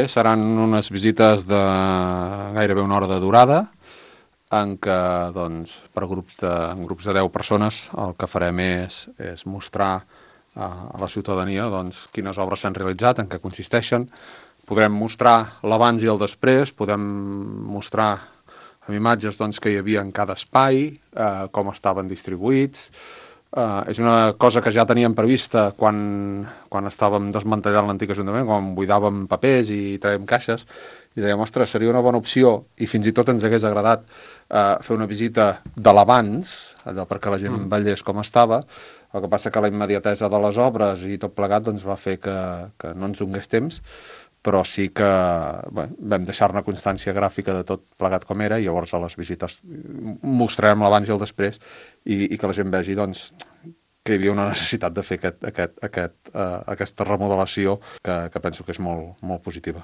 Seran unes visites de gairebé una hora de durada, en què doncs, en grups de 10 persones el que farem és mostrar a la ciutadania doncs, quines obres s'han realitzat, en què consisteixen. Podrem mostrar l'abans i el després, podem mostrar amb imatges doncs, que hi havia en cada espai, com estaven distribuïts. És una cosa que ja teníem prevista quan estàvem desmantellant l'antic Ajuntament, quan buidàvem papers i traiem caixes, i dèiem, ostres, seria una bona opció, i fins i tot ens hagués agradat fer una visita de l'abans, allò perquè la gent veiés com estava. El que passa que la immediatesa de les obres i tot plegat doncs, va fer que no ens donés temps, però sí que vam deixar-ne constància gràfica de tot plegat com era, i llavors a les visites mostrarem l'abans i el després, i que la gent vegi doncs, que hi havia una necessitat de fer aquesta remodelació que penso que és molt, molt positiva.